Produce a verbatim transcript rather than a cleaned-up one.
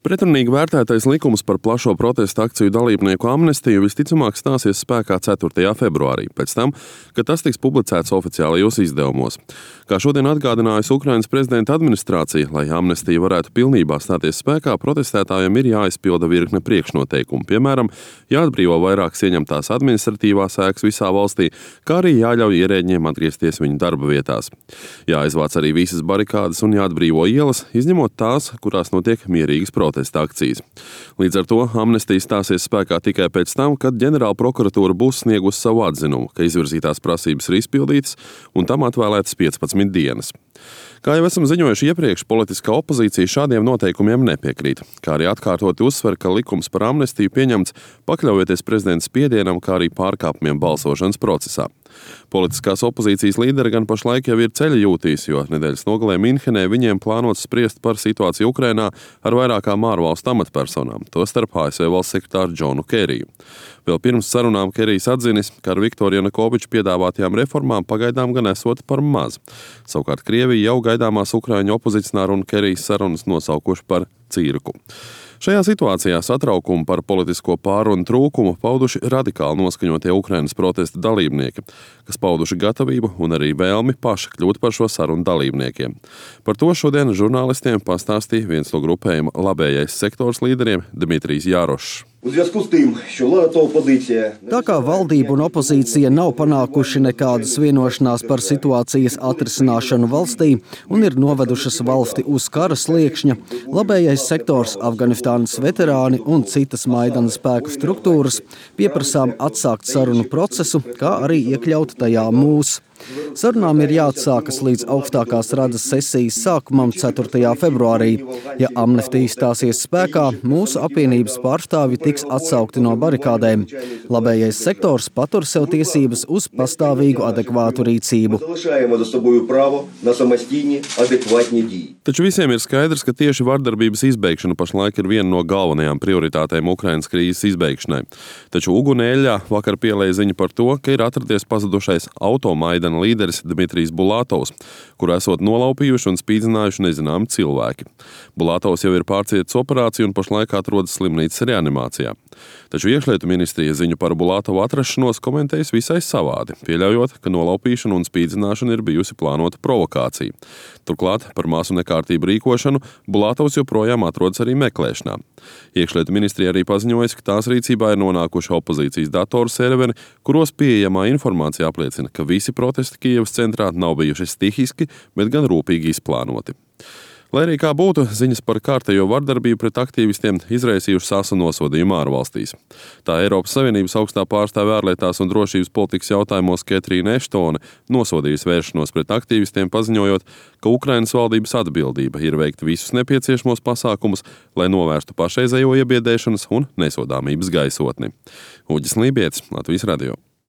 Pretrunīgi vērtētais likums par plašo protesta akciju dalībnieku amnestiju visticamāk stāsies spēkā ceturtajā februārī, pēc tam, kad tas tiks publicēts oficiālajos izdevumos. Kā šodien atgādinājusi Ukrainas prezidenta administrācija, lai amnestija varētu pilnībā stāties spēkā, protestētājiem ir jāizpilda virkne priekšnoteikumu, piemēram, jāatbrīvo vairākas ieņemtās administratīvās ēkas visā valstī, kā arī jāļauj ierēģiem atgriezties viņu darba vietās. Jāizvāc arī visas barikādes un jāatbrīvo ielas, izņemot tās, kurās notiek mierīgas protestas akcijas. Līdz ar to amnestija stāsies spēkā tikai pēc tam, kad ģenerāla prokuratūra būs sniegusi savu atzinumu, ka izvirzītās prasības ir izpildītas un tam atvēlētas piecpadsmit dienas. Kā jau esam ziņojuši iepriekš, politiskā opozīcija šādiem noteikumiem nepiekrīt, kā arī atkārtoti uzsver, ka likums par amnestiju pieņemts pakļaujoties prezidenta spiedienam, kā arī pārkāpumiem balsošanas procesā. Politiskās opozīcijas līderi gan pašlaik jau ir ceļa jūtīs, jo nedēļas nogalē Minhenē viņiem plānots spriest par situāciju Ukrainā ar vairākām ārvalstu amatpersonām, tostarp A S V valsts sekretāru Džonu Keriju. Vēl pirms sarunām Kerijs atzinis, ka ar Viktoru Janukoviču piedāvātajām reformām pagaidām gan esot par maz. Savukārt Krievija jau gaidāmās Ukraiņu opozicionāru un Kerijs sarunas nosaukuši par cirku. Šajā situācijā satraukumu par politisko pārunu trūkumu pauduši radikāli noskaņotie Ukrainas protesta dalībnieki, kas pauduši gatavību un arī vēlmi paši kļūt par šo sarunu dalībniekiem. Par to šodien žurnālistiem pastāstīja viens no grupējuma labējais sektors līderiem Dmitrijs Jārošs. Tā kā valdība un opozīcija nav panākuši nekādas vienošanās par situācijas atrisināšanu valstī un ir novedušas valsti uz kara sliekšņa, labējais sektors, Afganistānas veterāni un citas Maidana spēku struktūras pieprasām atsākt sarunu procesu, kā arī iekļaut tajā mūs. Sarunām ir jāatsākas līdz augstākās radas sesijas sākumam ceturtajā februārī. Ja amnestija stāsies spēkā, mūsu apvienības pārstāvji tiks atsaukti no barikādēm. Labējais sektors patur sev tiesības uz pastāvīgu adekvātu rīcību. Taču visiem ir skaidrs, ka tieši vardarbības izbeigšana pašlaik ir viena no galvenajām prioritātēm Ukrainas krīzes izbeigšanai. Taču Uguneļā vakar pielēja ziņa par to, ka ir atradies pazudušais automaidana līderis Dmitrijs Bulātovs, kuru esot nolaupījuši un spīdzinājuši nezināmi cilvēki. Bulātovs jau ir pārcietis operāciju un pašlaik atrodas slimnīcas reanimācijā. Taču iekšlietu ministrija ziņu par Bulātovu atrašanos komentējas visai savādi, pieļaujot, ka nolaupīšana un spīdzināšana ir bijusi plānota provokācija. Turklāt par masu nekārtību rīkošanu Bulātovs joprojām atrodas arī meklēšanā. Iekšlietu ministrija arī paziņojas, ka tās rīcībā ir nonākuši opozīcijas datoru serveri, kuros pieejamā informācija apliecina, ka visi protesti Kijevas centrā nav bijuši stihiski, bet gan rūpīgi izplānoti. Lai arī kā būtu, ziņas par kārtējo vardarbību pret aktīvistiem izraisījušas asu nosodījumu ārvalstīs. Tā Eiropas Savienības augstā pārstāve ārlietās un drošības politikas jautājumos Ketrīna Eštone nosodījusi vēršanos pret aktīvistiem, paziņojot, ka Ukrainas valdības atbildība ir veikt visus nepieciešamos pasākumus, lai novērstu pašreizējo iebiedēšanas un nesodāmības gaisotni. Uģis Lībietis, Latvijas radio.